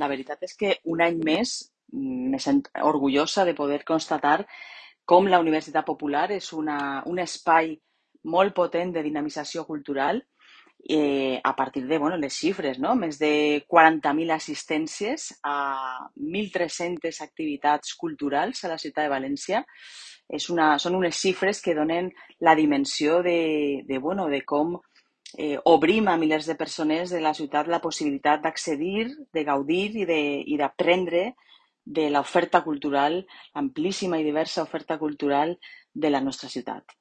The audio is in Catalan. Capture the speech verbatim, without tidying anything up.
La veritat és que un any més mm, me sento orgullosa de poder constatar com la Universitat Popular és una, un espai molt potent de dinamització cultural eh, a partir de bueno, les xifres, no? Més de quaranta mil assistències a mil tres-centes activitats culturals a la ciutat de València. És una, són unes xifres que donen la dimensió de, de, bueno, de com eh, obrim a milers de persones de la ciutat la possibilitat d'accedir, de gaudir i de, i d'aprendre de l'oferta cultural, amplíssima i diversa oferta cultural de la nostra ciutat.